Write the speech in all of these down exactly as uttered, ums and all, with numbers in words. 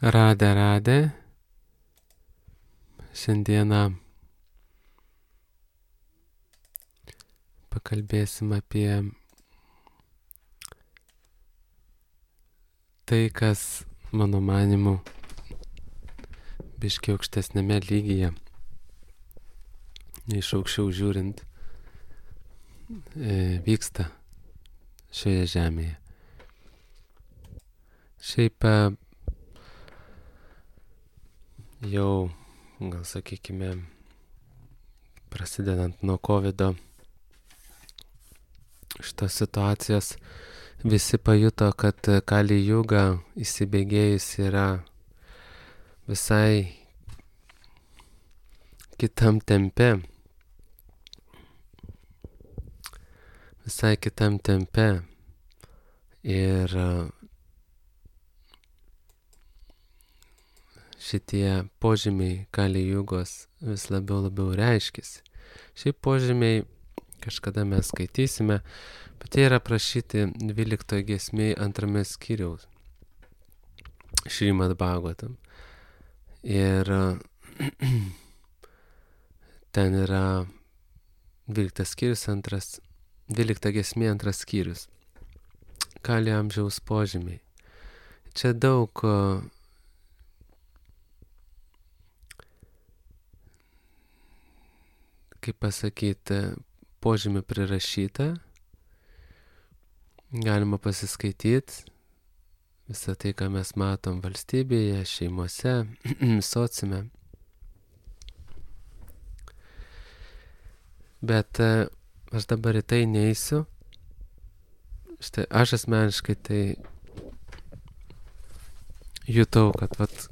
Radę, radę. Šiandieną pakalbėsim apie tai, kas, mano manimu, biškiai aukštesnėme lygyje, iš aukščiau žiūrint, e, vyksta šioje žemėje. Šiaip e, jau, gal sakykime, prasidedant nuo kovido šitos situacijos, visi pajuto, kad Kali Juga įsibėgėjus yra visai kitam tempe. Visai kitam tempe. Ir šitie požymiai Kali Jugos vis labiau labiau reiškėsi. Šiaip požymiai kažkada mes skaitysime, bet jie yra aprašyti dvyliktoje giesmėje antrame skyriaus Šrimad Bhagavatam. Ir ten yra dvyliktas skyrius, antras, dvylikta giesmė, antras skyrius. Kali amžiaus požymiai. Čia daug kaip pasakyti, požymių prirašyta. Galima pasiskaityti visą tai, ką mes matom valstybėje, šeimose, sociume. Bet aš dabar į tai neisiu. Štai aš asmeniškai tai jutau, kad vat,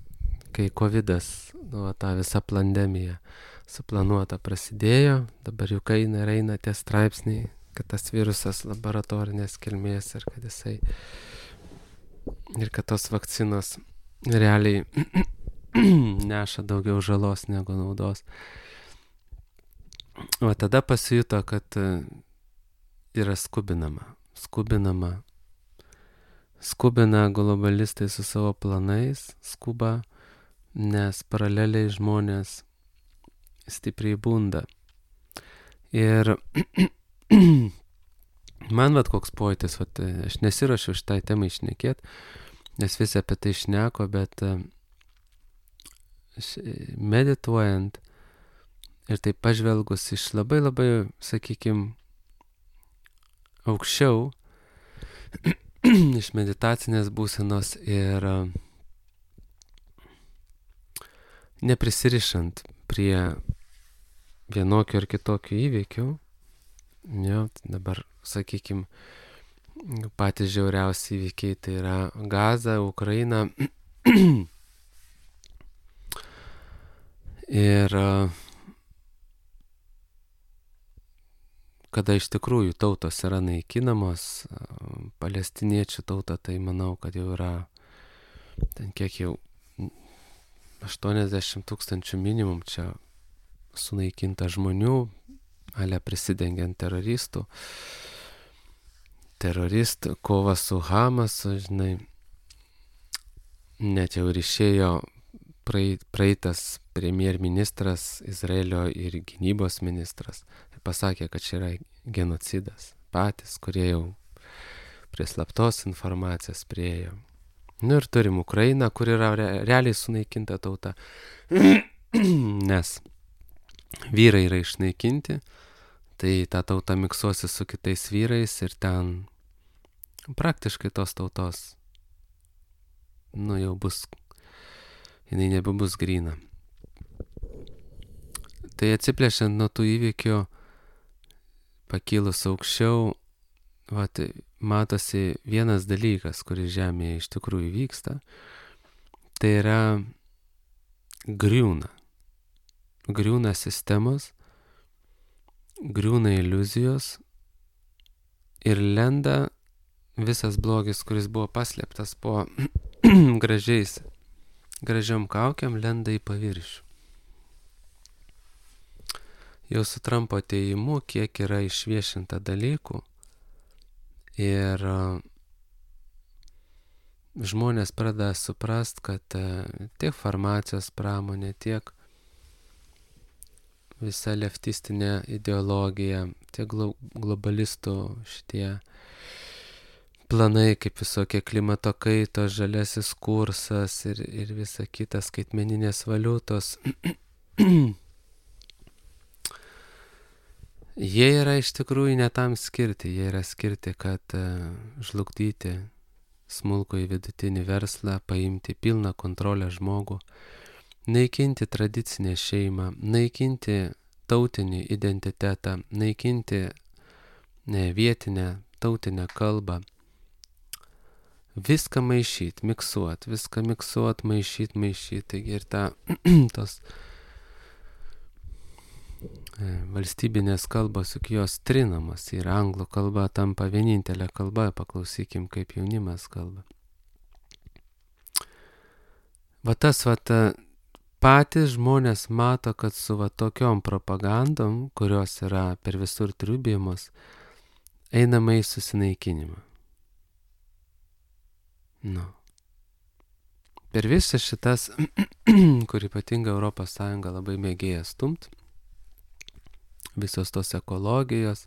kai kovidas, nu, ta visa pandemija suplanuota prasidėjo, dabar jau eina ir eina tie straipsniai, kad tas virusas laboratorinės kilmės ir kad jisai ir kad tos vakcinos realiai neša daugiau žalos negu naudos. O tada pasijuto, kad yra skubinama, skubinama, skubina globalistai su savo planais, skuba, nes paraleliai žmonės stipriai bunda. Ir man vat koks pojūtis, vat, aš nesiruošiu šitai temai šnekėt, nes visi apie tai šneko, bet medituojant ir taip pažvelgus iš labai labai, sakykime, aukščiau, iš meditacinės būsenos ir neprisirišant prie vienokių ar kitokių įvykių, jo, dabar, sakykime, patys žiauriausi įvykiai tai yra Gaza, Ukraina. Ir kada iš tikrųjų tautos yra naikinamos, palestiniečių tauta, tai manau, kad jau yra ten kiek jau aštuoniasdešimt tūkstančių minimum čia sunaikinta žmonių, ale prisidengiant teroristų. Teroristų, kova su Hamasu, žinai, net jau ir išėjo praeitas premjerministras Izraelio ir gynybos ministras ir pasakė, kad čia yra genocidas. Patys, kurie jau prie slaptos informacijos priėjo. Nu ir turim Ukrainą, kur yra re, realiai sunaikinta tauta, nes vyrai yra išnaikinti, tai ta tauta miksuosi su kitais vyrais ir ten praktiškai tos tautos, nu jau bus, jinai nebebus gryna. Tai atsiplėšiant nuo tų įvykių, pakilus aukščiau, vat, matosi vienas dalykas, kuris žemėje iš tikrųjų vyksta, tai yra griūna. Griūna sistemos, griūna iliuzijos ir lenda visas blogis, kuris buvo paslėptas po gražiais, gražiom kaukiam, lenda į paviršių. Jau su Trumpo atėjimu, kiek yra išviešinta dalykų ir žmonės pradeda suprast, kad tiek farmacijos pramonė, tiek visa leftistinė ideologija, tiek globalistų šitie planai, kaip visokie klimato kaitos, žaliasis kursas ir, ir visa kita skaitmeninės valiutos, jie yra iš tikrųjų ne tam skirti, jie yra skirti, kad uh, žlugdyti smulkų į vidutinį verslą, paimti pilną kontrolę žmogų, naikinti tradicinę šeimą, naikinti tautinį identitetą, naikinti ne, vietinę tautinę kalbą, viską maišyt, miksuot, viską miksuot, maišyt, maišyt, taigi ir ta, tos valstybinės kalbos, juk jos trinamos ir anglų kalba tampa vienintelė kalba, paklausykim, kaip jaunimas kalba. Va tas, va ta, patys žmonės mato, kad su va tokiom propagandom, kurios yra per visur triubėjimos, einama į susinaikinimą. Nu. Per visas šitas, kur ypatinga Europos Sąjunga labai mėgėja stumt, visos tos ekologijos,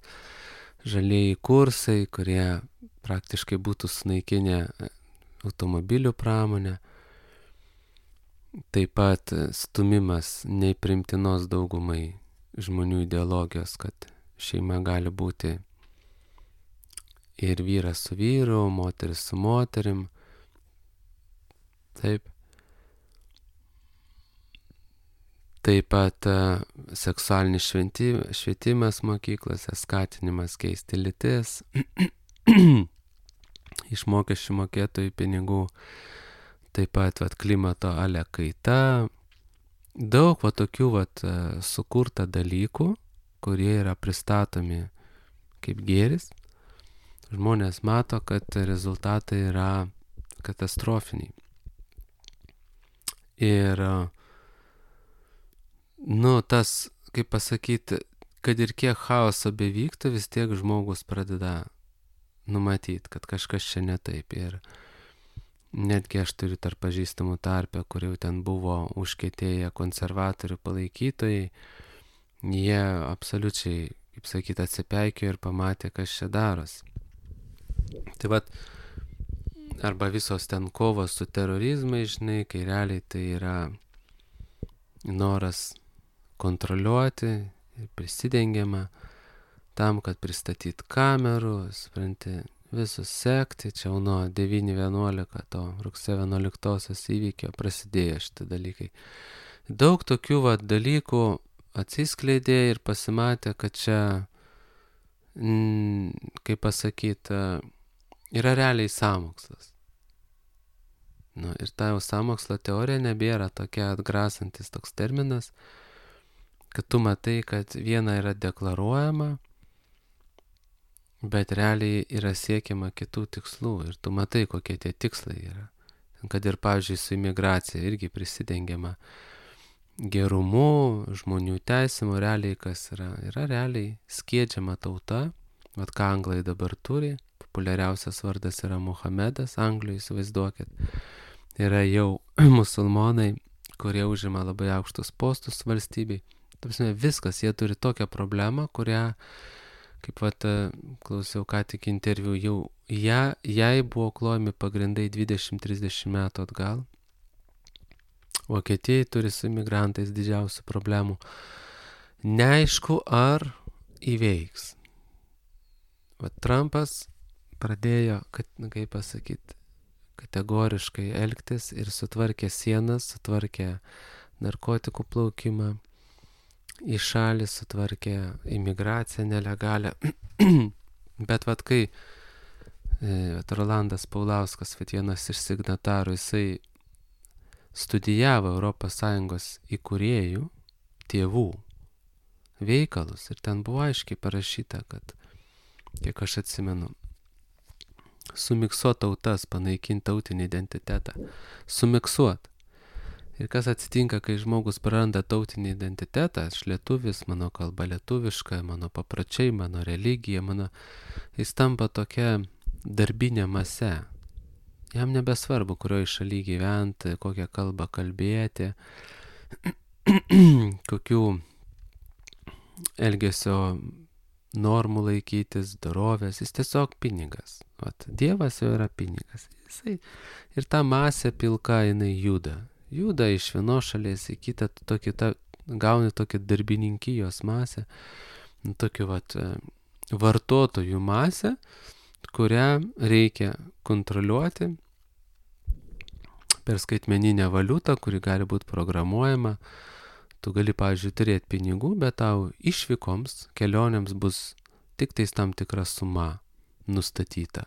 žalieji kursai, kurie praktiškai būtų sunaikinę automobilių pramonę, taip pat stumimas neįprimtinos daugumai žmonių ideologijos, kad šeima gali būti ir vyras su vyru, moteris su moterim, taip. Taip pat uh, seksualinis švietimas mokyklose, skatinimas keisti lytis, iš mokesčių mokėtojų pinigų, taip pat vat, klimato ale kaita, daug va, tokių vat, uh, sukurta dalykų, kurie yra pristatomi kaip gėris. Žmonės mato, kad rezultatai yra katastrofiniai. Ir nu, tas, kaip pasakyti, kad ir kiek chaoso bevyktų, vis tiek žmogus pradeda numatyti, kad kažkas čia ne taip. Ir netgi aš turiu tarp pažįstamų tarpę, kur jau ten buvo užkietėję konservatorių palaikytojai, jie absoliučiai, kaip sakyti, atsipeikėjo ir pamatė, kas čia darosi. Tai vat, arba visos ten kovos su terorizmai, žinai, kai realiai tai yra noras kontroliuoti ir prisidengiama tam, kad pristatyt kamerų, supranti, visus sekti. Čia jau nuo devyni vienuolika to rugsėjo vienuoliktosios įvykio prasidėjo šitie dalykai. Daug tokių va, dalykų atsiskleidė ir pasimatė, kad čia, mm, kaip pasakyti, yra realiai sąmokslas. Nu, ir ta jau sąmokslo teorija nebėra tokia atgrasantis toks terminas, kad tu matai, kad viena yra deklaruojama, bet realiai yra siekiama kitų tikslų ir tu matai, kokie tie tikslai yra. Kad ir, pavyzdžiui, su imigracija irgi prisidengiama gerumu, žmonių teisimu, realiai kas yra. Yra realiai skiedžiama tauta, vat ką anglai dabar turi. Populiariausias vardas yra Muhamedas, Anglijoje, įsivaizduokit. Yra jau musulmonai, kurie užima labai aukštus postus valstybei. Tarpsime, viskas, jie turi tokią problemą, kurią, kaip vat, klausiau ką tik interviu, jau ją, jai buvo klojami pagrindai dvidešimt trisdešimt metų atgal. Vokietijai turi su imigrantais didžiausių problemų. Neaišku, ar įveiks. Vat Trumpas pradėjo, kad, kaip pasakyti, kategoriškai elgtis ir sutvarkė sienas, sutvarkė narkotikų plaukimą į šalį, sutvarkė imigraciją nelegalią. Bet vat kai vat Rolandas Paulauskas, vat vienas iš signatarų, jisai studijavo Europos Sąjungos įkūrėjų tėvų veikalus ir ten buvo aiškiai parašyta, kad, kiek aš atsimenu, sumiksuot tautas, panaikinti tautinį identitetą. Sumiksuot. Ir kas atsitinka, kai žmogus praranda tautinį identitetą, aš lietuvis, mano kalba lietuviška, mano papročiai, mano religija, mano... jis tampa tokia darbinė mase. Jam nebesvarbu, kurioje šalyje gyventi, kokią kalbą kalbėti, kokių elgesio normų laikytis, dorovės, jis tiesiog pinigas. Vat, Dievas jau yra pinigas. Jisai, ir ta masė pilka, jinai juda. Juda iš vienos šalies į kitą, tokį, ta, gauni tokį darbininkijos masę, tokį vat, vartotojų masę, kurią reikia kontroliuoti per skaitmeninę valiutą, kuri gali būti programuojama. Tu gali, pavyzdžiui, turėti pinigų, bet tau išvykoms, kelionėms bus tik tais tam tikra suma nustatyta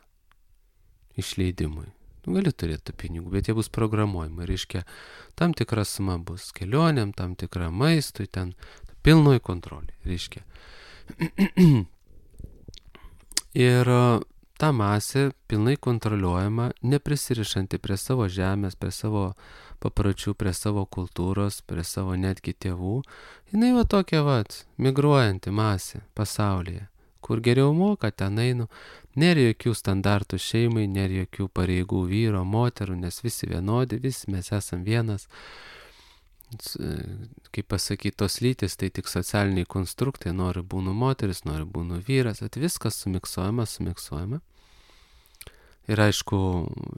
išleidimui. Tu gali turėti tų pinigų, bet jie bus programuojami. Reiškia, tam tikra suma bus kelionėm, tam tikra maistui, ten pilnoj kontrolė. Reiškia. Ir ta masė pilnai kontroliuojama, neprisirišanti prie savo žemės, prie savo papročių, prie savo kultūros, prie savo netgi tėvų. Jinai va tokia vat, migruojanti masė pasaulyje, kur geriau moka, ten einu. Nėra jokių standartų šeimai, nėra jokių pareigų vyro, moterų, nes visi vienodi, visi mes esam vienas. Kaip pasakyti, tos lytis, tai tik socialiniai konstruktai, nori būnu moteris, nori būnu vyras, at viskas sumiksuojama, sumiksuojama. Ir aišku,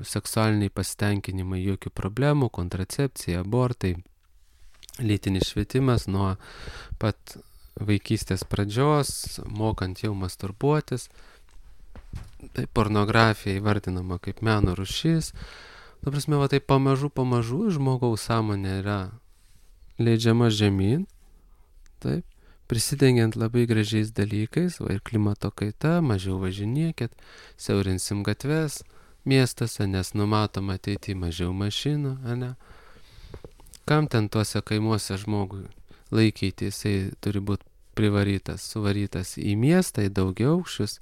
seksualiniai pasitenkinimai, jokių problemų, kontracepcija, abortai, lytinis švietimas nuo pat vaikystės pradžios, mokant jau masturbuotis. Tai pornografija įvardinama kaip meno rūšis. Ta prasme, va tai pamažu, pamažu žmogaus sąmonė yra leidžiama žemyn, taip, prisidengiant labai gražiais dalykais, va ir klimato kaita, mažiau važinėkit, siaurinsim gatves miestuose, nes numatom ateity mažiau mašinų, ane? Kam ten tuose kaimuose žmogui laikyti, jisai turi būti privarytas, suvarytas į miestą, į daugiaaukščius,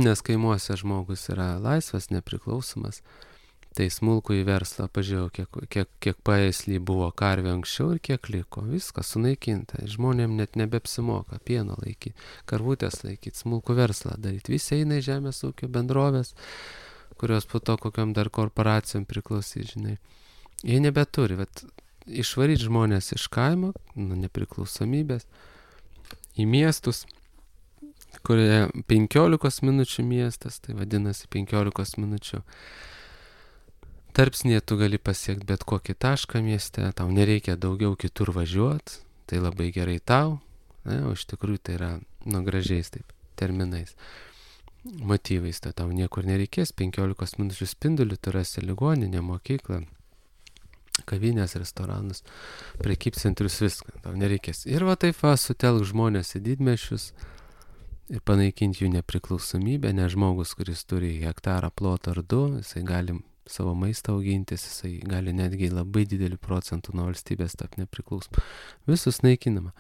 nes kaimuose žmogus yra laisvas, nepriklausomas. Tai smulkų į verslą, pažiūrėjau, kiek, kiek, kiek paėslį buvo karvė anksčiau ir kiek liko. Viskas sunaikinta. Žmonėm net nebepsimoka pieno laikyti, karvutės laikyti, smulkų verslą daryti. Visi eina į žemės ūkio bendrovės, kurios po to kokiam dar korporacijom priklausys, žinai. Jie nebeturi, bet išvaryti žmonės iš kaimo, nu, nepriklausomybės, į miestus, kurie penkiolikos minučių miestas, tai vadinasi penkiolikos minučių. Tarpsnėje tu gali pasiekti bet kokį tašką mieste, tau nereikia daugiau kitur važiuoti, tai labai gerai tau, ne, o iš tikrųjų tai yra, nu, gražiais taip, terminais, motyvais, tai tau niekur nereikės, penkiolikos minučių spindulių tu rasi ligoninę, mokyklą, kavinės, restoranus, prekybcentrius, viską, tau nereikės. Ir va taip va, sutelk žmonės į didmiesčius ir panaikinti jų nepriklausomybę, nes žmogus, kuris turi hektarą plotą ar du, jisai gali savo maistą augintis, jisai gali netgi labai didelį procentų nuo valstybės tapti nepriklausomą. Visus naikinama.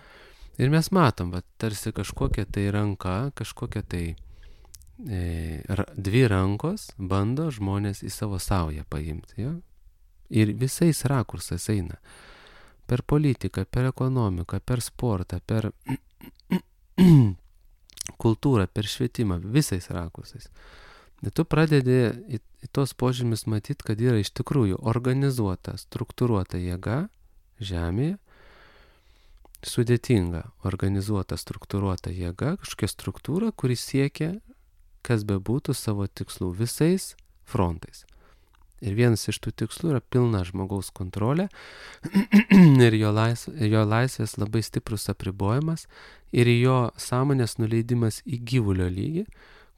Ir mes matom, va, tarsi kažkokia tai ranka, kažkokia tai e, ra, dvi rankos bando žmonės į savo saują paimti. Ja? Ir visais rakursais eina. Per politiką, per ekonomiką, per sportą, per kultūrą, per švietimą, visais rakursais. Ir tu pradedi į, į tos požymis matyti, kad yra iš tikrųjų organizuota, struktūruota jėga žemėje, sudėtinga, organizuota, struktūruota jėga, kažkokia struktūra, kuri siekia, kas bebūtų, savo tikslų visais frontais. Ir vienas iš tų tikslų yra pilna žmogaus kontrolė ir jo, laisv, jo laisvės labai stiprus apribojimas ir jo sąmonės nuleidimas į gyvulio lygį,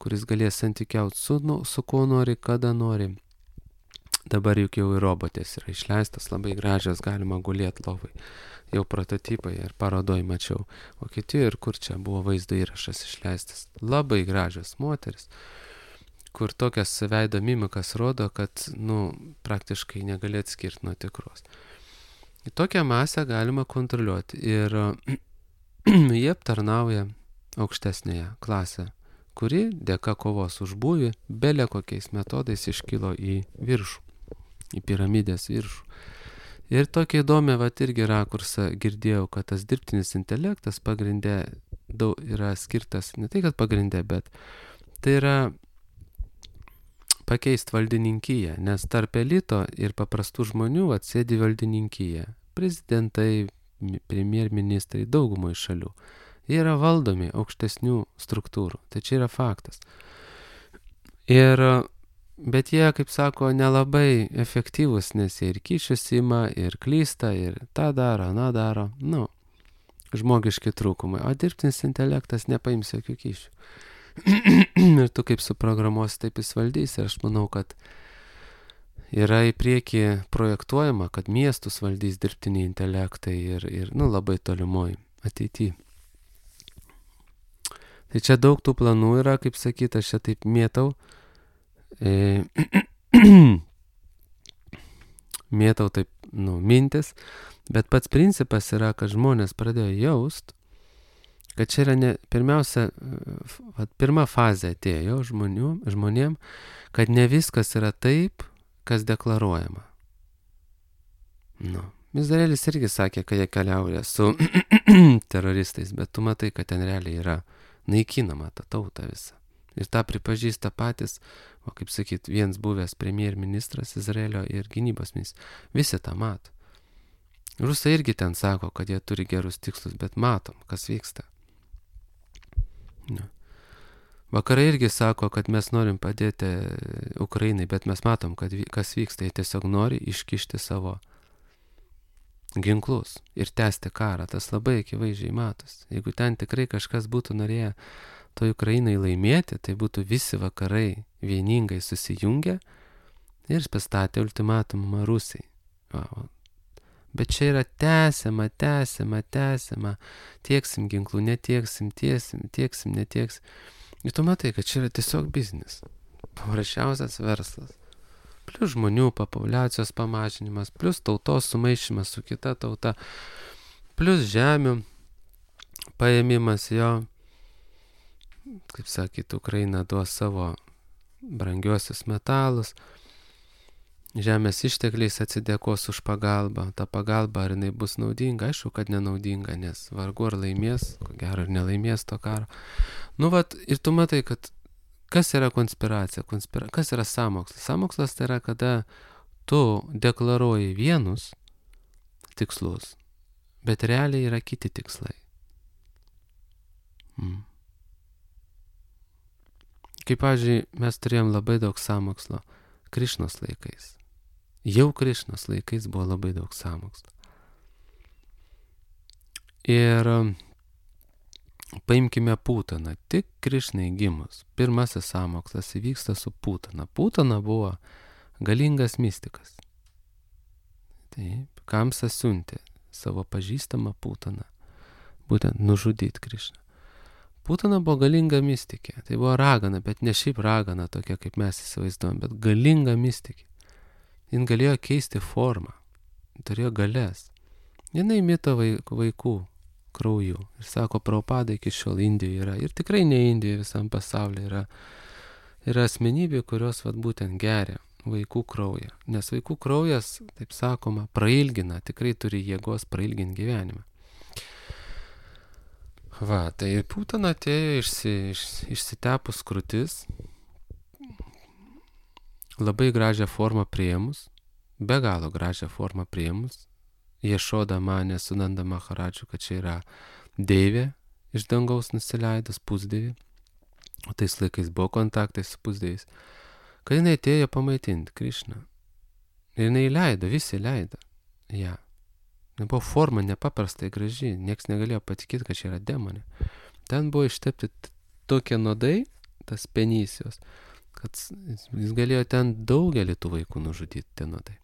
kuris galės santykiauti su, nu, su kuo nori, kada nori. Dabar juk jau ir robotės yra išleistas, labai gražios, galima gulėti lovai. Jau prototipai ir parodoj mačiau. Vokietijoje ir kur čia buvo vaizdo įrašas išleistas. Labai gražios moteris, kur tokias veido mimikas rodo, kad, nu, praktiškai negali atskirti nuo tikros. Į tokią masę galima kontroliuoti ir jie aptarnauja aukštesnėje klasę, kuri dėka kovos už būvį belė kokiais metodais iškilo į viršų, į piramidės viršų. Ir tokia įdomia, vat irgi rakursą girdėjau, kad tas dirbtinis intelektas pagrindė daug yra skirtas, ne tai kad pagrindė, bet tai yra pakeisti valdininkiją, nes tarp elito ir paprastų žmonių atsėdi valdininkiją. Prezidentai, premjerministrai, daugumai šalių. Jie yra valdomi aukštesnių struktūrų. Tai čia yra faktas. Ir, bet jie, kaip sako, nelabai efektyvus, nes jie ir kyšius ima, ir klysta, ir tą daro, aną daro. Nu, žmogiški trūkumai. O dirbtinis intelektas nepaims jokių kyšių. Ir tu kaip suprogramuosi, taip jis valdys. Ir aš manau, kad yra į priekį projektuojama, kad miestus valdys dirbtiniai intelektai ir, ir nu, labai tolimoj ateityje. Tai čia daug tų planų yra, kaip sakyt, aš čia taip mėtau. E, mėtau taip, nu, mintis, bet pats principas yra, kad žmonės pradėjo jaust, kad čia yra ne, pirmiausia, vat, pirma fazė atėjo žmonių, žmonėm, kad ne viskas yra taip, kas deklaruojama. Nu, Izraelis irgi sakė, kad jie keliauja su teroristais, bet tu matai, kad ten realiai yra naikinama ta tauta visa. Ir tą pripažįsta patys, o kaip sakyt, viens buvęs premjerministras Izraelio ir gynybos ministras. Visi tą mato. Rusai irgi ten sako, kad jie turi gerus tikslus, bet matom, kas vyksta. Ne. Vakarai irgi sako, kad mes norim padėti Ukrainai, bet mes matom, kad kas vyksta. Jie tiesiog nori iškišti savo ginklus ir tęsti karą. Tas labai akivaizdžiai matos. Jeigu ten tikrai kažkas būtų norėję to Ukrainai laimėti, tai būtų visi vakarai vieningai susijungę ir pastatė ultimatumą Rusijai. O, bet čia yra tęsiama, tęsiama, tęsiama, tieksim ginklų, netieksim, tiesim, tieksim, netieksim. Ir tu matai, kad čia yra tiesiog biznis. Paprasčiausias verslas. Plius žmonių populiacijos pamažinimas, plius tautos sumaišymas su kita tauta, plius žemių paėmimas jo. Kaip sakyt, Ukraina duos savo brangiosius metalus, žemės ištekliais atsidėkos už pagalbą. Ta pagalba, ar jinai bus naudinga? Aišku, kad nenaudinga, nes vargu ar laimės, ko gero ar nelaimės to karo. Nu, vat, ir tu matai, kad kas yra konspiracija? Konspira... Kas yra sąmokslas? Sąmokslas tai yra, kada tu deklaruoji vienus tikslus, bet realiai yra kiti tikslai. Mm. Kaip, pavyzdžiui, mes turėjom labai daug sąmokslo Krišnos laikais. Jau Krišnos laikais buvo labai daug sąmokslo. Ir paimkime Putaną. Tik Krišnai gimus. Pirmasis sąmokslas įvyksta su Putana. Putana buvo galingas mistikas. Taip, Kamsas siuntė savo pažįstamą Putaną. Būtent nužudyti Krišną. Putana buvo galinga mistikė. Tai buvo ragana, bet ne šiaip ragana tokia, kaip mes įsivaizduojam, bet galinga mistikė. Jin galėjo keisti formą. Turėjo galės. Jinai mito vaikų krauju. Ir sako, Prabhupada iki šiol Indijoje yra. Ir tikrai ne Indijoje, visam pasaulyje yra. Yra asmenybė, kurios vat būtent geria vaikų kraują. Nes vaikų kraujas, taip sakoma, prailgina, tikrai turi jėgos prailginti gyvenimą. Va, tai Putana atėjo išsi, iš, išsitepus krūtis, labai gražią formą priėmus, be galo gražią formą priėmus. Ješoda manė su Nanda Maharadžu, kad čia yra deivė iš dangaus nusileidus, pusdeivė. O tais laikais buvo kontaktai su pusdieviais. Kai jinai atėjo pamaitinti Krišną. Ir jinai leido, visi leido. Ja. Buvo forma nepaprastai graži. Niekas negalėjo patikėti, kad čia yra demonė. Ten buvo ištepti tokie nuodai, tas penysijos, kad jis galėjo ten daugelį tų vaikų nužudyti, tie nuodai.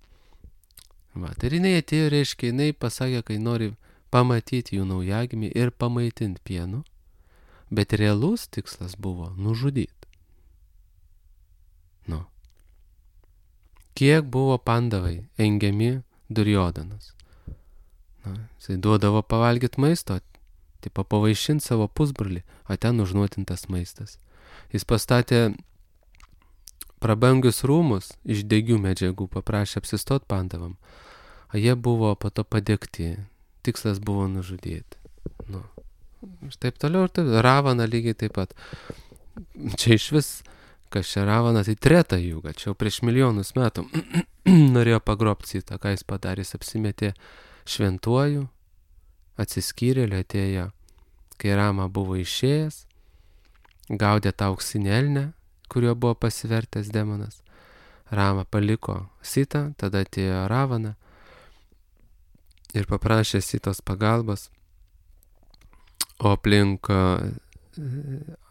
Va, tai jinai atėjo, reiškia, jinai pasakė, kai nori pamatyti jų naujagimį ir pamaitinti pienu, bet realus tikslas buvo nužudyti. Nu. Kiek buvo pandavai engiami Durjodanas? Na, jisai duodavo pavalgyti maisto, tipo pavaišinti savo pusbrolį, o ten užnuotintas maistas. Jis pastatė prabangius rūmus iš degių medžiagų, paprašė apsistot pandavam. O jie buvo po to padegti. Tikslas buvo nužudyti. Nu. Ir taip toliau ir taip. Ravana lygiai taip pat. Čia iš vis kas čia Ravana, tai treta jūga, čia jau prieš milijonus metų norėjo pagrobti Sitą, ką jis padarė, jis apsimetė šventuoju, atsiskyrėliu, atėjo, kai Rama buvo išėjęs, gaudė tą auksinį elnę, kuriuo buvo pasivertęs demonas. Rama paliko Sitą, tada atėjo Ravana ir paprašė Sitos pagalbos, o aplink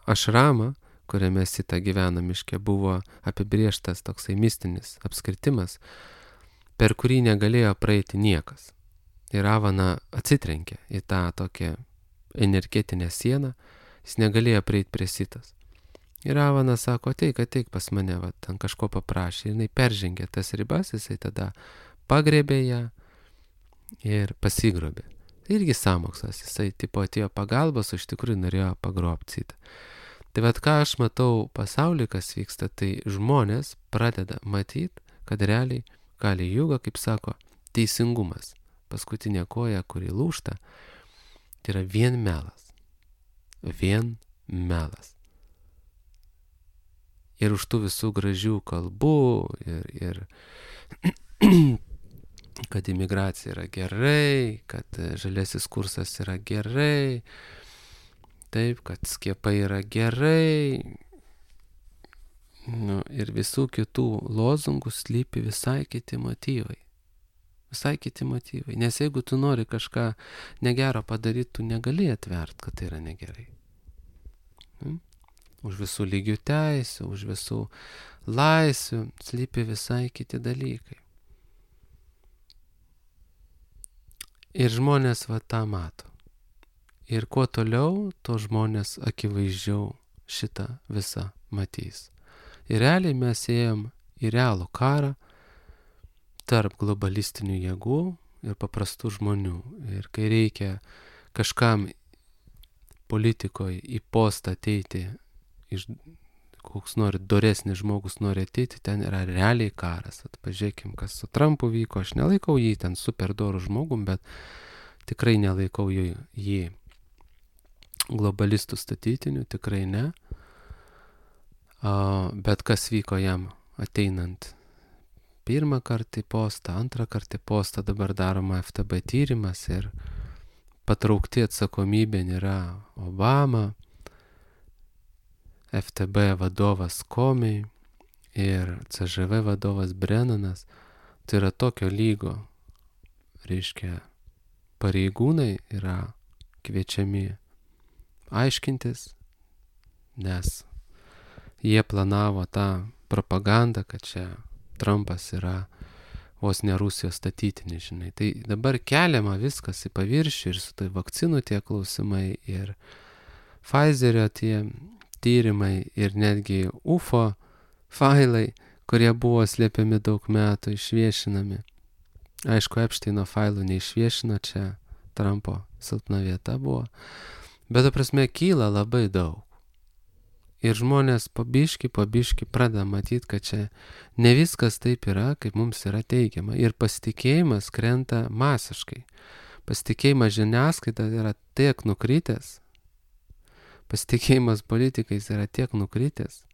ašramą, kuriame Sita gyvena miške, buvo apibrieštas toksai mistinis apskritimas, per kurį negalėjo praeiti niekas. Ir Ravana atsitrenkė į tą tokią energetinę sieną, jis negalėjo prieiti prie Sitos. Ir Ravana sako, ateik, ateik pas mane, va, ten kažko paprašė, ir jinai peržengė tas ribas, jisai tada pagrebė ją ir pasigrobė. Tai irgi sąmokslas, jisai tipo atėjo pagalbos, o iš tikrųjų norėjo pagrobti Sitą. Tai vad ką aš matau pasaulyje, kas vyksta, tai žmonės pradeda matyti, kad realiai Kali Juga, kaip sako, teisingumas, paskutinė koja, kuri lūžta, tai yra vien melas. Vien melas. Ir už tų visų gražių kalbų ir, ir kad imigracija yra gerai, kad žaliasis kursas yra gerai, taip, kad skiepai yra gerai, nu, ir visų kitų lozungų slypi visai kiti motyvai. Visai kiti motyvai. Nes jeigu tu nori kažką negero padaryti, tu negali atvert, kad tai yra negerai. Hmm? Už visų lygių teisių, už visų laisvių slypi visai kiti dalykai. Ir žmonės va tą mato. Ir kuo toliau, to žmonės akivaizdžiau šitą visą matys. Ir realiai mes ėjom į realų karą tarp globalistinių jėgų ir paprastų žmonių. Ir kai reikia kažkam politikoje į postą ateiti, iš, koks nori doresnis žmogus nori ateiti, ten yra realiai karas. Pažiūrėkim, kas su Trumpu vyko. Aš nelaikau jį ten super dorų žmogum, bet tikrai nelaikau jį, jį globalistų statytinių, tikrai ne. Uh, bet kas vyko jam ateinant pirmą kartą į postą, antrą kartą į postą, dabar daroma F T B tyrimas ir patraukti atsakomybė yra Obama, F T B vadovas Comey ir C Ž V vadovas Brennanas. Tai yra tokio lygo, reiškia, pareigūnai yra kviečiami aiškintis, nes jie planavo tą propagandą, kad čia Trumpas yra vos ne Rusijos statytinis, žinai. Tai dabar keliama viskas į paviršių ir su tai vakcinų tie klausimai ir Pfizerio tie tyrimai ir netgi U F O failai, kurie buvo slėpiami daug metų, išviešinami. Aišku, Epšteino failų neišviešino, čia Trumpo silpna vieta buvo. Bet, ta prasme, kyla labai daug. Ir žmonės po biškį, po biškį pradeda matyti, kad čia ne viskas taip yra, kaip mums yra teigiama. Ir pasitikėjimas krenta masiškai. Pasitikėjimas žiniasklaida yra tiek nukritęs. Pasitikėjimas politikais yra tiek nukritęs.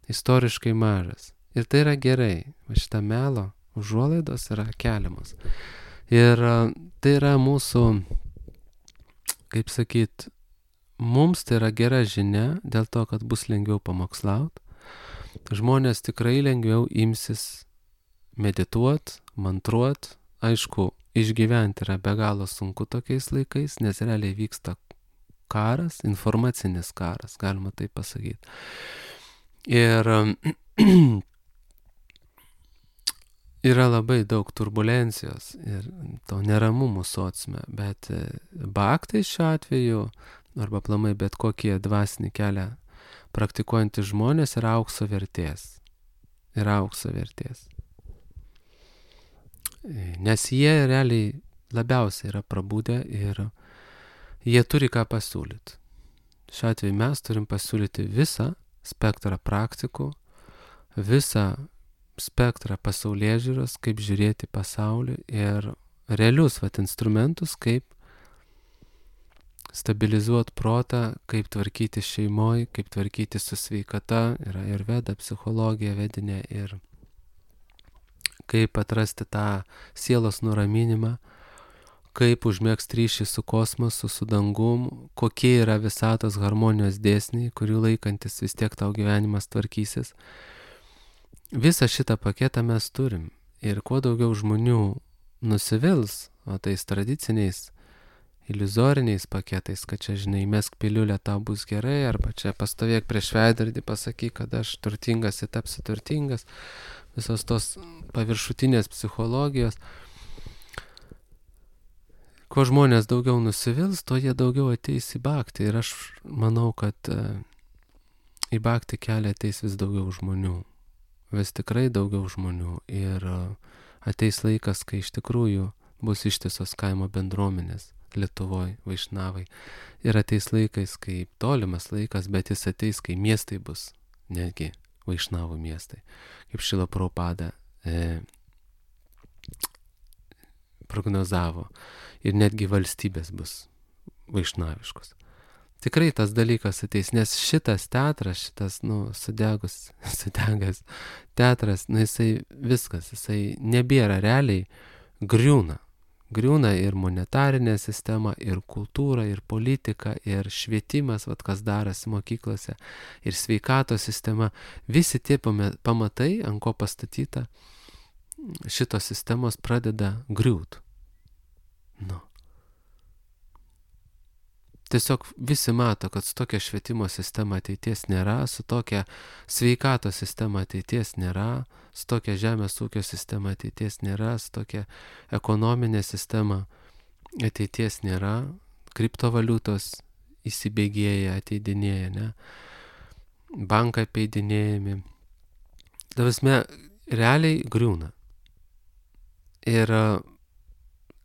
Istoriškai mažas. Ir tai yra gerai. Va šitą melo užuolaidos yra keliamos. Ir tai yra mūsų, kaip sakyt, mums tai yra gera žinia dėl to, kad bus lengviau pamokslaut. Žmonės tikrai lengviau imsis medituot, mantruot. Aišku, išgyventi yra be galo sunku tokiais laikais, nes realiai vyksta karas, informacinis karas, galima taip pasakyti. Ir yra labai daug turbulencijos ir to neramumų sociume, bet bhaktai šiuo atveju, arba aplamai bet kokie dvasinį kelią praktikuojantys žmonės yra aukso vertės. Yra aukso vertės. Nes jie realiai labiausiai yra prabudę ir jie turi ką pasiūlyti. Šiuo atveju mes turim pasiūlyti visą spektrą praktikų, visą spektrą pasaulėžiūros, kaip žiūrėti pasaulį ir realius vat, instrumentus, kaip stabilizuoti protą, kaip tvarkyti šeimoje, kaip tvarkyti su sveikata, yra ir veda psichologija vedinė, ir kaip atrasti tą sielos nuraminimą, kaip užmėgsti ryšį su kosmosu, su dangum, kokie yra visatos harmonijos dėsniai, kurių laikantis vis tiek tau gyvenimas tvarkysis. Visą šitą paketą mes turim. Ir kuo daugiau žmonių nusivils, o tais tradiciniais, iliuzoriniais paketais, kad čia, žinai, mesk piliulę, tau bus gerai, arba čia pastovėk prieš veidrodį, pasakyk, kad aš turtingas ir tapsiu turtingas, visos tos paviršutinės psichologijos. Kuo žmonės daugiau nusivils, to jie daugiau ateis į bhaktį. Ir aš manau, kad į bhaktį kelią ateis vis daugiau žmonių. Vis tikrai daugiau žmonių. Ir ateis laikas, kai iš tikrųjų bus ištisos kaimo bendruomenės Lietuvoje, vaišnavai. Ir ateis laikais, kai tolimas laikas, bet jis ateis, kai miestai bus netgi vaišnavų miestai. Kaip Šrila Prabhupada e, prognozavo. Ir netgi valstybės bus vaišnaviškos. Tikrai tas dalykas ateis, nes šitas teatras, šitas, nu, sudegus, sudegas teatras, nu, jisai viskas, jisai nebėra realiai, griūna. Griūna ir monetarinė sistema, ir kultūra, ir politika, ir švietimas, vat, kas darosi mokyklose, ir sveikatos sistema. Visi tie pamatai, ant ko pastatyta, šitos sistemos pradeda griūt. Nu. Tiesiog visi mato, kad su tokia švietimo sistema ateities nėra, su tokia sveikatos sistema ateities nėra, su tokia žemės ūkio sistema ateities nėra, su tokia ekonominė sistema ateities nėra, kriptovaliutos įsibėgėja, ateidinėja, ne? Bankai apeidinėjami. Davasme, realiai griūna. Ir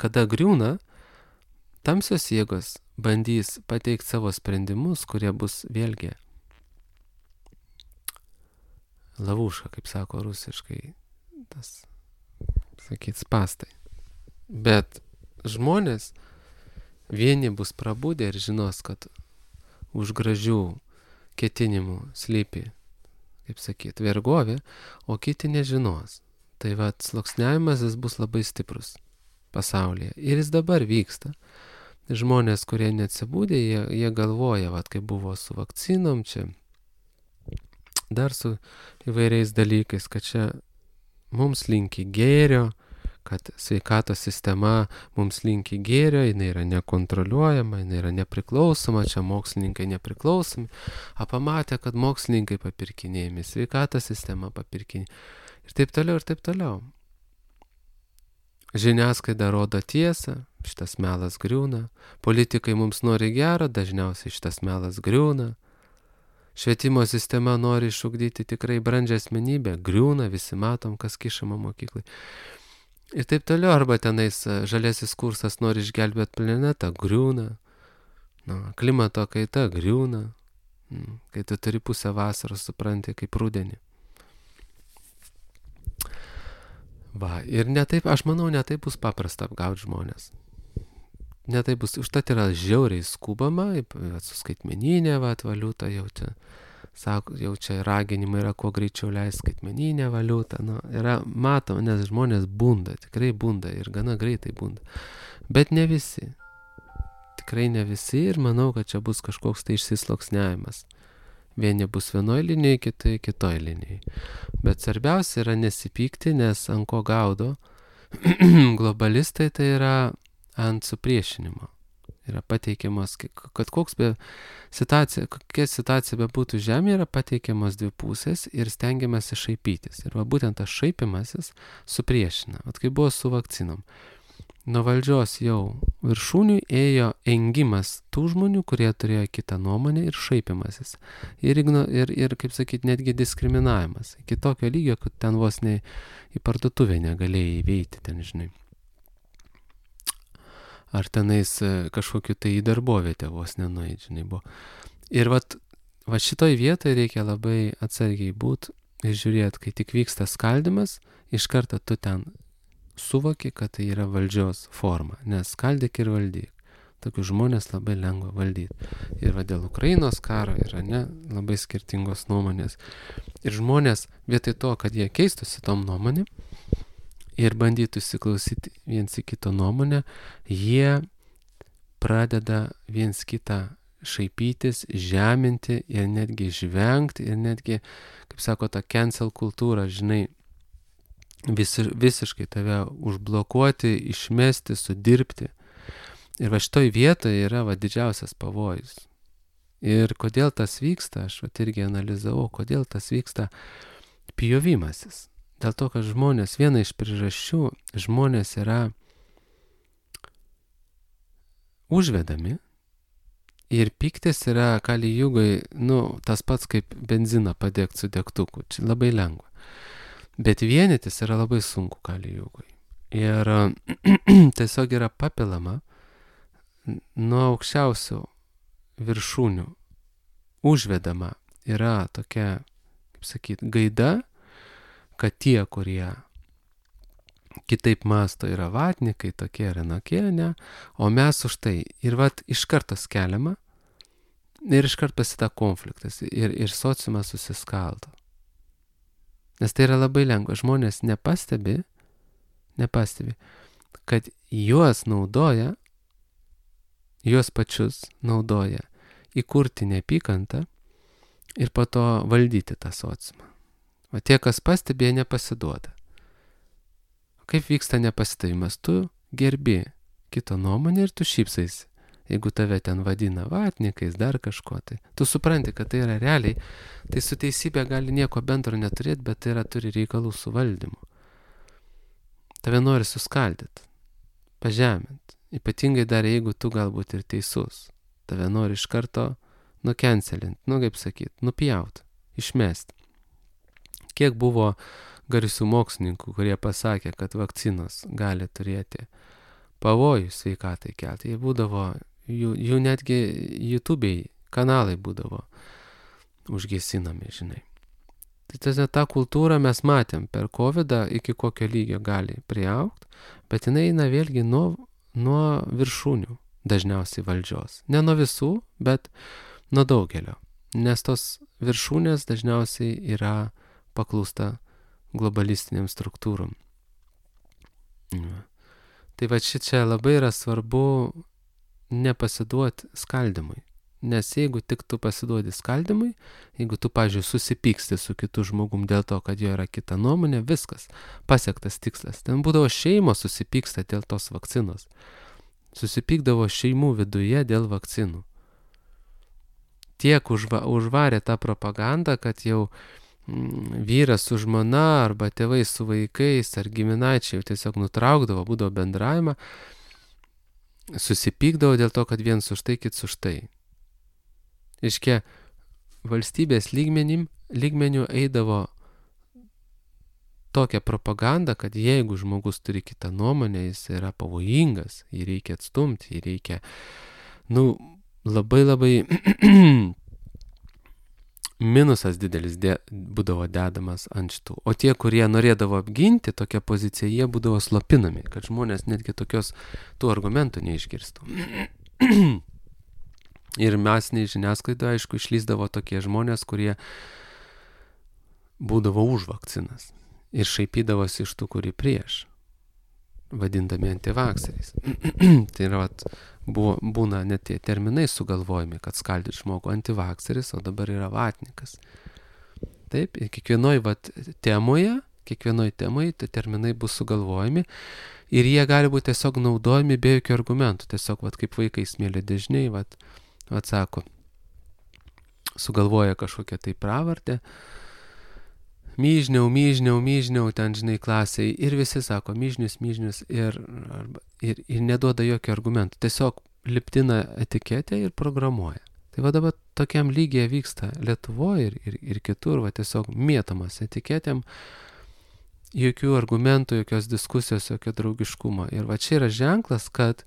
kada griūna, tamsios jėgos bandys pateikti savo sprendimus, kurie bus vėlgi lavuška, kaip sako rusiškai, tas, sakyt, spastai. Bet žmonės vieni bus prabudę ir žinos, kad už gražių ketinimų slypi, kaip sakyt, vergovė, o kiti nežinos. Tai va, sluoksniavimas jis bus labai stiprus pasaulyje. Ir jis dabar vyksta. Žmonės, kurie neatsibūdė, jie, jie galvoja, vat, kaip buvo su vakcinom, čia dar su įvairiais dalykais, kad čia mums linki gėrio, kad sveikatos sistema mums linki gėrio, jinai yra nekontroliuojama, jinai yra nepriklausoma, čia mokslininkai nepriklausomi, a pamatė, kad mokslininkai papirkinėjami, sveikatos sistema papirkinėjami ir taip toliau, ir taip toliau. Žiniasklaida rodo tiesą, šitas melas griūna, politikai mums nori gero, dažniausiai šitas melas griūna, švietimo sistema nori išugdyti tikrai brandžią asmenybę, griūna, visi matom, kas kišama mokyklai. Ir taip toliau, arba tenais žaliasis kursas nori išgelbėti planetą, griūna, nu, klimato kaita griūna, kai tu turi pusę vasaros, supranti, kaip rudenį. Va, ir netaip, aš manau, netaip bus paprasta apgauti žmonės. Netaip bus, užtat yra žiauriai skubama, su skaitmeninė va, valiuta, jau čia, sako, jau čia raginimai yra kuo greičiau leisti skaitmeninę valiutą, nu, yra matoma, nes žmonės bunda, tikrai bunda ir gana greitai bunda. Bet ne visi, tikrai ne visi ir manau, kad čia bus kažkoks tai išsisloksniavimas. Vieni bus vienoj linijai, kitai kitoj linijai. Bet svarbiausia yra nesipykti, nes ant ko gaudo globalistai, tai yra ant supriešinimo. Yra pateikiamas, kad koks be situacija, kokia situacija bebūtų žemėje, yra pateikiamas dvi pusės ir stengiamasi šaipytis. Ir va būtent tas šaipimasis supriešina. Vat kaip buvo su vakcinom. Nuo valdžios jau viršūnių ėjo engimas tų žmonių, kurie turėjo kitą nuomonę ir šaipimasis. Ir, ir, ir kaip sakyt, netgi diskriminavimas. Iki tokio lygio, kad ten vos ne į parduotuvę negalėjai įveiti, ten, žinai. Ar tenais kažkokiu tai į darbovietę vos nenueit, žinai, buvo. Ir vat, vat šitoj vietoje reikia labai atsargiai būti ir žiūrėti, kai tik vyksta skaldimas, iš karto tu ten suvoki, kad tai yra valdžios forma, nes skaldyk ir valdyk. Tokius žmonės labai lengva valdyti. Ir va dėl Ukrainos karo yra ne labai skirtingos nuomonės. Ir žmonės vietoj to, kad jie keistųsi tom nuomonėm ir bandytų įsiklausyti viens į kito nuomonę, jie pradeda viens kitą šaipytis, žeminti ir netgi žvengti ir netgi, kaip sako, ta cancel kultūra, žinai, visi, visiškai tave užblokuoti, išmesti, sudirbti. Ir va šitoj vietoje yra va didžiausias pavojus. Ir kodėl tas vyksta, aš va irgi analizavau, kodėl tas vyksta pjovimasis. Dėl to, kad žmonės, viena iš priežasčių, žmonės yra užvedami ir piktis yra kali jugai, nu, tas pats kaip benziną padegti su degtuku. Čia labai lengva. Bet vienytis yra labai sunku kali jugai. Ir tiesiog yra papilama nuo aukščiausių viršūnių užvedama yra tokia, kaip sakyt, gaida, kad tie, kurie kitaip masto, yra vatnikai, tokie ir anokie, ne, o mes už tai. Ir vat iš karto skeliama ir iš karto pasita konfliktas ir, ir sociumas susiskaldo. Nes tai yra labai lengva. Žmonės nepastebi, nepastebi, kad juos naudoja, juos pačius naudoja įkurti neapykantą ir po to valdyti tą sociumą. O tie, kas pastebi, jie nepasiduoda. Kaip vyksta nepasitavimas? Tu gerbi kito nuomonę ir tu šypsaisi. Jeigu tave ten vadina vatnikais, dar kažko, tai tu supranti, kad tai yra realiai, tai su teisybė gali nieko bendro neturėti, bet tai yra turi reikalų su valdymu. Tave nori suskaldyti, pažeminti. Ypatingai dar jeigu tu galbūt ir teisus. Tave nori iš karto nukencelinti, nu kaip sakyt, nupjauti, išmesti. Kiek buvo garsių mokslininkų, kurie pasakė, kad vakcinos gali turėti pavojų sveikatai kelti. Jie būdavo, jų, jų netgi YouTube'ai kanalai būdavo užgesinami, žinai. Tai tas, tą kultūrą mes matėm per kovidą, iki kokio lygio gali priaugti, bet jinai eina vėlgi nuo, nuo viršūnių, dažniausiai valdžios. Ne nuo visų, bet nuo daugelio. Nes tos viršūnės dažniausiai yra paklūsta globalistiniam struktūrom. Ja. Tai va šičia labai yra svarbu nepasiduoti skaldymui. Nes jeigu tik tu pasiduodi skaldymui, jeigu tu, pavyzdžiui, susipyksti su kitu žmogum dėl to, kad jo yra kita nuomonė, viskas, pasiektas tikslas. Ten būdavo šeimos susipyksta dėl tos vakcinos. Susipykdavo šeimų viduje dėl vakcinų. Tiek užva, užvarė tą propagandą, kad jau mm, vyras su žmona arba tėvai su vaikais ar giminaičiai jau tiesiog nutraukdavo, būdavo bendravimą, susipykdavo dėl to, kad viens už tai, kits už tai. Iškia, valstybės lygmenim, lygmenių eidavo tokia propaganda, kad jeigu žmogus turi kitą nuomonę, jis yra pavojingas, jį reikia atstumti, jį reikia, nu, labai labai minusas didelis de, būdavo dedamas ant šitų. O tie, kurie norėdavo apginti tokią poziciją, jie būdavo slopinami, kad žmonės netgi tokios tų argumentų neišgirstų. Ir masiniai žiniasklaidoje, aišku, išlysdavo tokie žmonės, kurie būdavo už vakcinas ir šaipydavosi iš tų, kuri prieš, vadindami antivakseriais. Tai yra, vat, buvo, būna net tie terminai sugalvojami, kad skaldyti žmogų antivakseris, o dabar yra vatnikas. Taip, ir kiekvienoj vat, temoje, kiekvienoj temoje tie terminai bus sugalvojami ir jie gali būti tiesiog naudojami be jokių argumentų. Tiesiog, vat, kaip vaikai smėlio dėžniai, vat, atsako, sugalvoja kažkokią tai pravardę, myžniau, myžniau, myžniau, ten, žinai, klasiai, ir visi sako myžnius, myžnius, ir, arba, ir, ir neduoda jokių argumentų, tiesiog liptina etiketę ir programuoja. Tai va dabar tokiam lygiai vyksta Lietuvoje ir, ir, ir kitur, va tiesiog mėtamas etiketėm, jokių argumentų, jokios diskusijos, jokio draugiškumo. Ir va čia yra ženklas, kad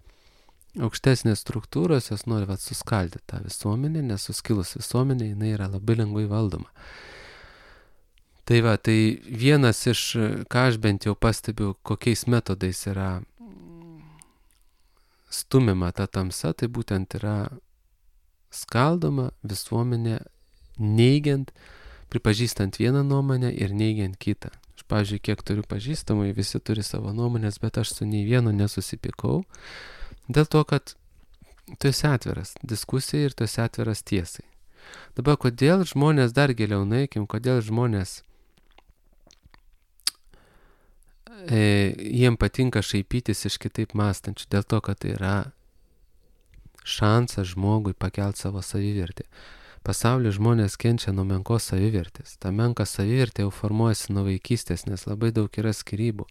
aukštesnės struktūros jos nori vat, suskaldyti tą visuomenę, nes suskilus visuomenė jinai yra labai lengvai valdoma. Tai va, tai vienas iš, ką aš bent jau pastebiu, kokiais metodais yra stumima ta tamsa, tai būtent yra skaldoma visuomenė neigiant, pripažįstant vieną nuomonę ir neigiant kitą. Aš, pavyzdžiui, kiek turiu pažįstamai, visi turi savo nuomonės, bet aš su nei vienu nesusipykau, dėl to, kad tu esi atviras diskusijai ir tu esi atviras tiesai. Dabar, kodėl žmonės, dar giliau nueikim, kodėl žmonės e, jiem patinka šaipytis iš kitaip mąstančių, dėl to, kad tai yra šansas žmogui pakelti savo savivertę. Pasaulyje žmonės kenčia nuo menkos savivertės. Ta menka savivertė jau formuojasi nuo vaikystės, nes labai daug yra skyrybų.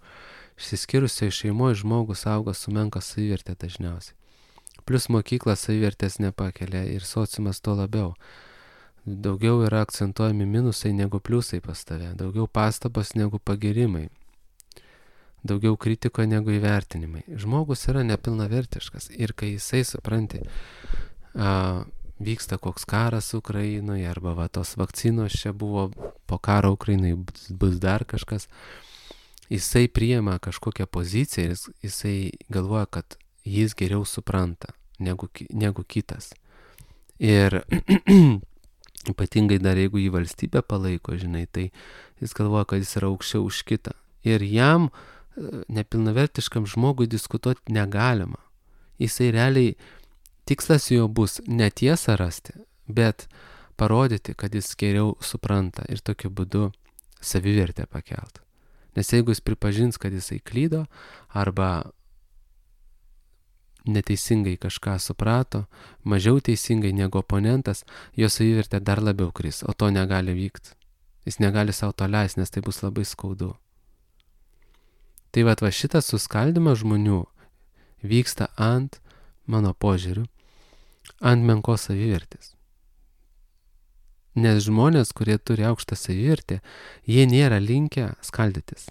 Išsiskyrusioje šeimoje žmogus auga su menka savivertė dažniausiai. Plus mokykla savivertės nepakelia ir sociumas to labiau. Daugiau yra akcentuojami minusai negu pliusai pas tave, daugiau pastabos negu pagirimai, daugiau kritiko negu įvertinimai. Žmogus yra nepilnavertiškas ir kai jisai, supranti, a, vyksta koks karas Ukrainoje arba va, tos vakcinos čia buvo, po karo Ukrainoje bus dar kažkas, jisai priima kažkokią poziciją ir jisai galvoja, kad jis geriau supranta negu, negu kitas. Ir ypatingai dar jeigu jį valstybė palaiko, žinai, tai jis galvoja, kad jis yra aukščiau už kitą. Ir jam nepilnavertiškam žmogui diskutuoti negalima. Jisai realiai, tikslas jo bus ne tiesą rasti, bet parodyti, kad jis geriau supranta ir tokiu būdu savivertę pakelt. Nes jeigu jis pripažins, kad jisai klydo arba neteisingai kažką suprato, mažiau teisingai negu oponentas, jo savivertė dar labiau kris, o to negali vykti. Jis negali savo to leisti, nes tai bus labai skaudu. Tai va, va šitas suskaldimas žmonių vyksta ant, mano požiūriu, ant menkos savivertės. Nes žmonės, kurie turi aukštą savivertę, jie nėra linkę skaldytis.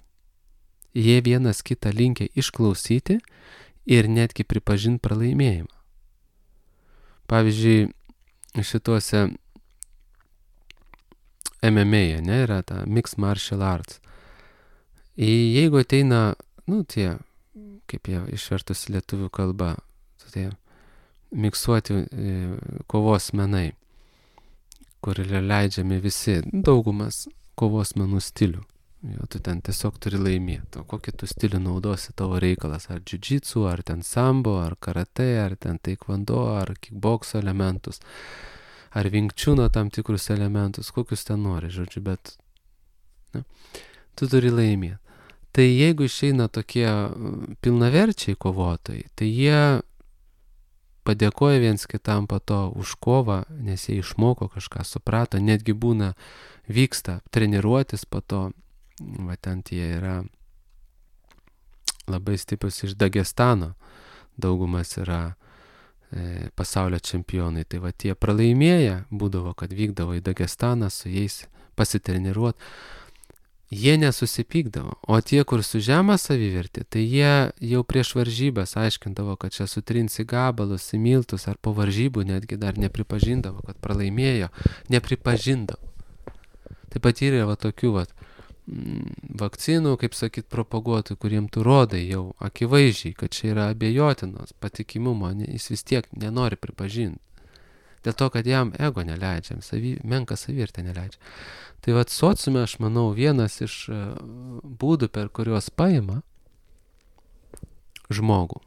Jie vienas kitą linkę išklausyti ir netgi pripažinti pralaimėjimą. Pavyzdžiui, šituose M M A, ne, yra ta Mixed Martial Arts. Jeigu ateina, nu, tie, kaip jie išvertus lietuvių kalba, tie miksuoti e, kovos menai, kur leidžiami visi, daugumas kovos menų stilių. Jo, tu ten tiesiog turi laimėti. O kokį tu stilių naudosi, tavo reikalas, ar džiudžitsu, ar ten sambo, ar karate, ar ten taekwondo, ar kickbokso elementus, ar vinkčiuno tam tikrus elementus, kokius ten nori, žodžiu, bet ne, tu turi laimėti. Tai jeigu išeina tokie pilnaverčiai kovotojai, tai jie padėkoja viens kitam po to už kovą, nes jie išmoko kažką, suprato, netgi būna, vyksta treniruotis po to, va ten tie yra labai stiprus iš Dagestano, daugumas yra e, pasaulio čempionai, tai va tie pralaimėję būdavo, kad vykdavo į Dagestaną su jais pasitreniruoti. Jie nesusipykdavo, o tie, kur su žema savivertė, tai jie jau prieš varžybas aiškindavo, kad čia sutrinsi gabalus, į miltus, ar po varžybų netgi dar nepripažindavo, kad pralaimėjo, nepripažindavo. Taip pat yra va tokių va, vakcinų, kaip sakyt, propaguotojų, kuriem tu rodai jau akivaizdžiai, kad čia yra abejotinos patikimumo, jis vis tiek nenori pripažinti. Dėl to, kad jam ego neleidžia, savy, menka savivertė neleidžia. Tai vat sociume, aš manau, vienas iš būdų, per kuriuos paima žmogų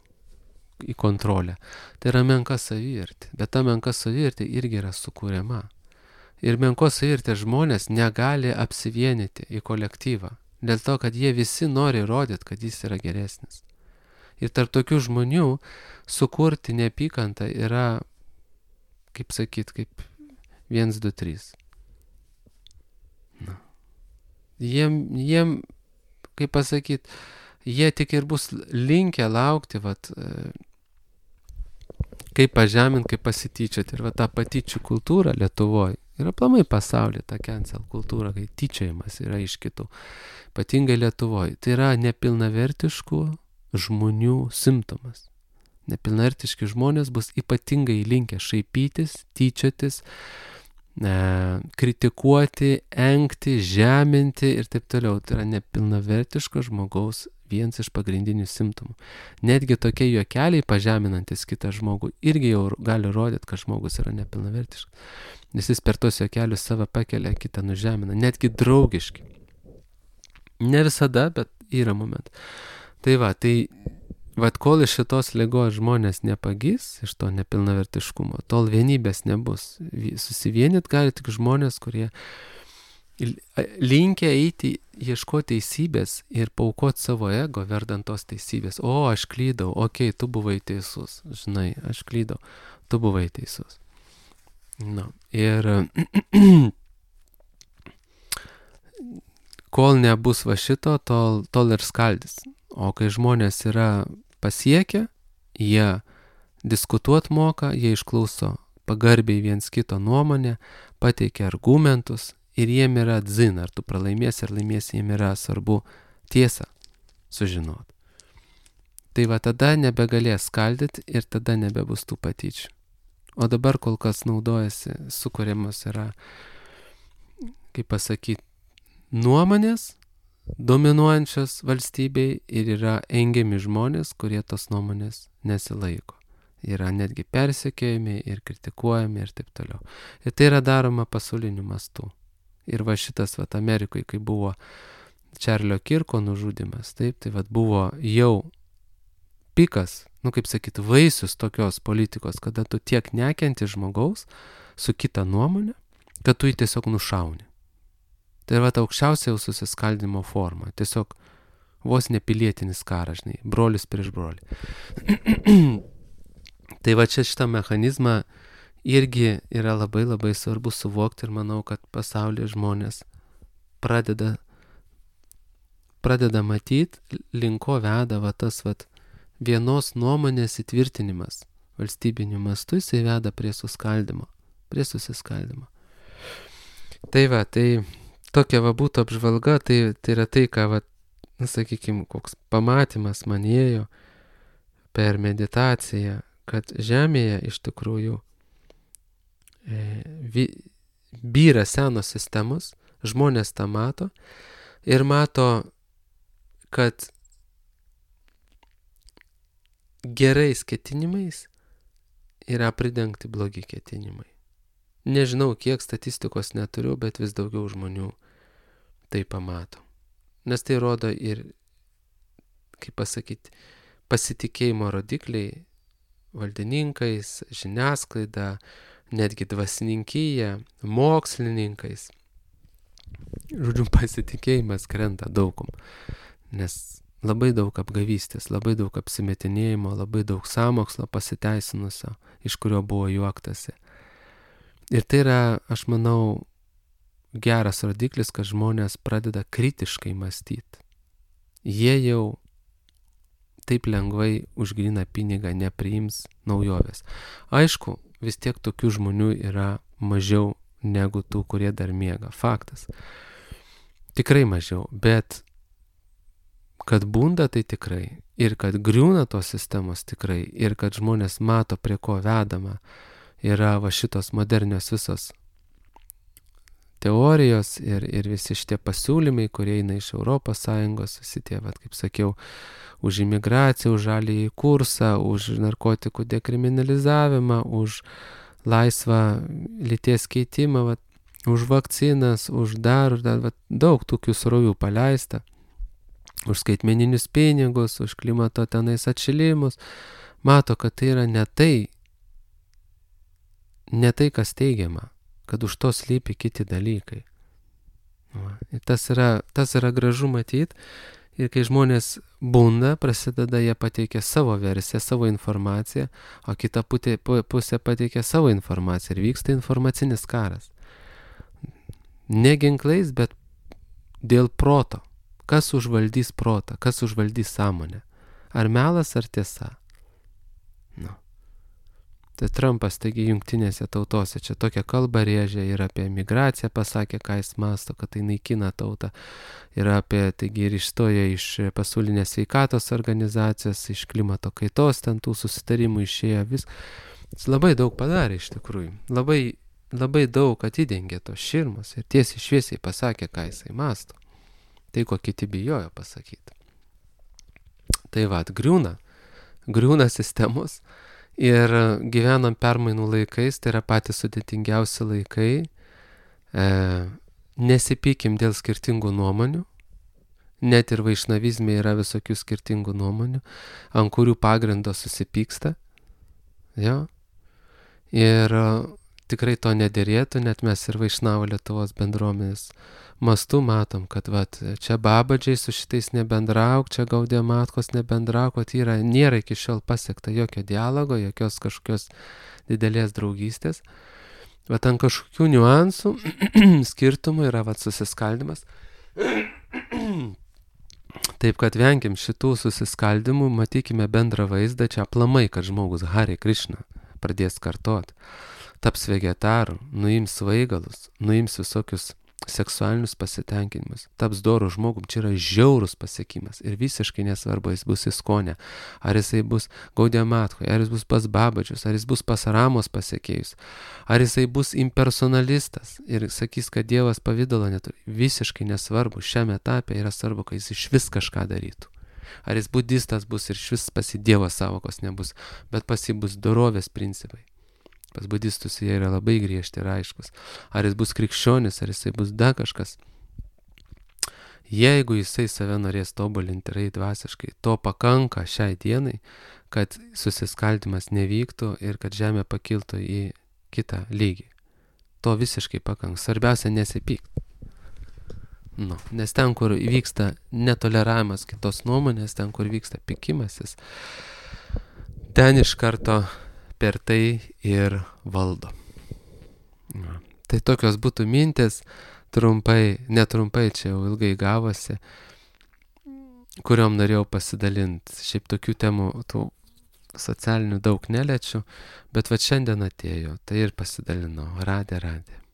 į kontrolę, tai yra menka savivertė. Bet ta menka savivertė irgi yra sukūriama. Ir menkos savivertės žmonės negali apsivienyti į kolektyvą. Dėl to, kad jie visi nori rodyti, kad jis yra geresnis. Ir tarp tokių žmonių sukurti neapykantą yra, kaip sakyt, kaip vienas, du, trys. Na. Jiem, jiem, kaip pasakyt, jie tik ir bus linkę laukti, vat, kaip pažeminti, kaip pasityčioti. Ir va ta patyčių kultūra Lietuvoje ir aplamai pasaulyje, ta cancel kultūra, kai tyčiojimas yra iš kitų, ypatingai Lietuvoje. Tai yra nepilnavertiškų žmonių simptomas. Nepilnavertiški žmonės bus ypatingai linkę šaipytis, tyčiotis, e, kritikuoti, engti, žeminti ir taip toliau. Tai yra nepilnavertiško žmogaus Vienas iš pagrindinių simptomų. Netgi tokie juokeliai pažeminantis kitą žmogų irgi jau gali rodyti, kad žmogus yra nepilnavertiškas. Nes jis per tos juokelius save pakelia, kitą nužemina. Netgi draugiški. Ne visada, bet yra momentų. Tai va, tai vat kol iš šitos ligos žmonės nepagis, iš to nepilnavertiškumo, tol vienybės nebus. Susivienyt gali tik žmonės, kurie linkę eiti, ieškoti teisybės ir paaukoti savo ego verdant tos teisybės. O, aš klydau, okei, okay, tu buvai teisus, žinai, aš klydau, tu buvai teisus. Na, ir kol nebus va šito, tol, tol ir skaldys. O kai žmonės yra pasiekę, jie diskutuot moka, jie išklauso pagarbiai viens kito nuomonę, pateikia argumentus, ir jiem yra dzin, ar tu pralaimėsi, ar laimėsi, jiem yra svarbu tiesą sužinot. Tai va tada nebegalės skaldyti ir tada nebebus tų patyčių. O dabar kol kas naudojasi, sukuriamos yra, kaip pasakyti, nuomonės dominuojančios valstybei ir yra engiami žmonės, kurie tos nuomonės nesilaiko. Yra netgi persekiojami ir kritikuojami ir taip toliau. Ir tai yra daroma pasauliniu mastu. Ir va šitas, va, Amerikoje, kai buvo Čarlio Kirko nužudymas, taip, tai va buvo jau pikas, nu kaip sakyti, vaisius tokios politikos, kada tu tiek nekenti žmogaus su kita nuomonė, kad tu jį tiesiog nušauni. Tai va ta aukščiausia jau susiskaldimo forma, tiesiog vos nepilietinis karas, žinai, brolis prieš brolį. Tai va čia šitą mechanizmą irgi yra labai labai svarbu suvokti ir manau, kad pasaulyje žmonės pradeda, pradeda matyti, linko veda va tas va vienos nuomonės įtvirtinimas valstybiniu mastu, jisai veda prie suskaldimo, prie susiskaldimo. Tai va, tai tokia va būtų apžvalga, tai, tai yra tai, ką va, na, sakykime, koks pamatymas man ėjo per meditaciją, kad Žemėje iš tikrųjų byra senos sistemos, žmonės tą mato ir mato, kad gerais ketinimais yra pridengti blogi ketinimai. Nežinau, kiek statistikos neturiu, bet vis daugiau žmonių tai pamato. Nes tai rodo ir, kaip pasakyti, pasitikėjimo rodikliai valdininkais, žiniasklaida, netgi dvasininkyje, mokslininkais. Žodžiu, pasitikėjimas krenta daugum, nes labai daug apgavystės, labai daug apsimetinėjimo, labai daug sąmokslo pasiteisinusio, iš kurio buvo juoktasi. Ir tai yra, aš manau, geras rodiklis, kad žmonės pradeda kritiškai mąstyti. Jie jau taip lengvai už gryną pinigą nepriims naujovės. Aišku, vis tiek tokių žmonių yra mažiau negu tų, kurie dar miega. Faktas. Tikrai mažiau, bet kad bunda, tai tikrai. Ir kad griūna tos sistemos tikrai. Ir kad žmonės mato, prie ko vedama, yra va šitos modernios visos teorijos ir, ir visi šitie pasiūlymai, kurie eina iš Europos Sąjungos, visi tie, vat, kaip sakiau, už imigraciją, už žalįjį kursą, už narkotikų dekriminalizavimą, už laisvą lyties keitimą, vat, už vakcinas, už dar, dar vat, daug tokių srovių paleista, už skaitmeninius pinigus, už klimato tenais atšilimus. Mato, kad tai yra ne tai, ne tai, kas teigiama, kad už to slypi kiti dalykai. Va. Ir tas yra, tas yra gražu matyti. Ir kai žmonės bunda, prasideda, jie pateikia savo versiją, savo informaciją, o kita pusė pateikia savo informaciją ir vyksta informacinis karas. Ne ginklais, bet dėl proto. Kas užvaldys protą, kas užvaldys sąmonę. Ar melas, ar tiesa. Nu. Tai Trumpas, taigi, jungtinėse tautose čia tokią kalbą rėžė ir apie migraciją pasakė, ką jis masto, kad tai naikina tautą. Ir apie, taigi, ir išstojo iš pasaulinės sveikatos organizacijos, iš klimato kaitos, ten tų susitarimų išėjo vis. Jis labai daug padarė iš tikrųjų. Labai, labai daug atidengė tos širmos ir tiesiai šviesiai pasakė, ką jisai masto. Tai, ko kiti bijojo pasakyti. Tai va, griūna, griūna sistemos ir gyvenam permainų laikais, tai yra patys sudėtingiausi laikai. E, nesipykim dėl skirtingų nuomonių, net ir vaišnavizme yra visokių skirtingų nuomonių, ant kurių pagrindo susipyksta. Jo. Ir tikrai to nedėrėtų, net mes ir Vaišnavo Lietuvos bendruomenės mastu matom, kad vat, čia babadžiai su šitais nebendrauk, čia Gaudija Matkos nebendrauk, vat yra, nėra iki šiol pasiekta jokio dialogo, jokios kažkokios didelės draugystės. Vat ant kažkokių niuansų, skirtumų yra vat susiskaldimas. Taip kad venkim šitų susiskaldimų, matykime bendrą vaizdą, čia aplamai, kad žmogus Hare Krishna pradės kartot, taps vegetaru, nuims svaigalus, nuims visokius seksualinius pasitenkinimus, taps dorų žmogum, čia yra žiaurus pasiekimas ir visiškai nesvarbu, jis bus įskonė, ar jisai bus Gaudija Matkoje, ar jis bus pas babadžius, ar jis bus pas Ramos pasiekėjus, ar jisai bus impersonalistas ir sakys, kad Dievas pavydalo neturi, visiškai nesvarbu, šiame etape yra svarbu, kad jis iš vis kažką darytų. Ar jis budistas bus ir iš vis pas jį Dievo savokos nebus, bet pas jį bus dorovės principai. Pas budistus jie yra labai griežti ir aiškus. Ar jis bus krikščionis, ar jisai bus da kažkas. Jeigu jisai save norės tobulinti ir eiti dvasiškai, to pakanka šiai dienai, kad susiskaldimas nevyktų ir kad žemė pakiltų į kitą lygį. To visiškai pakanka. Svarbiausia nesipykti. Nu, nes ten, kur vyksta netoleravimas kitos nuomonės, ten, kur vyksta pykimasis, ten iš karto per tai ir valdo. Nu, tai tokios būtų mintis, trumpai, netrumpai, čia jau ilgai gavosi, kuriom norėjau pasidalinti. Šiaip tokių temų, tų socialinių daug neliečiu, bet va šiandien atėjo, tai ir pasidalinau. Radė, radė.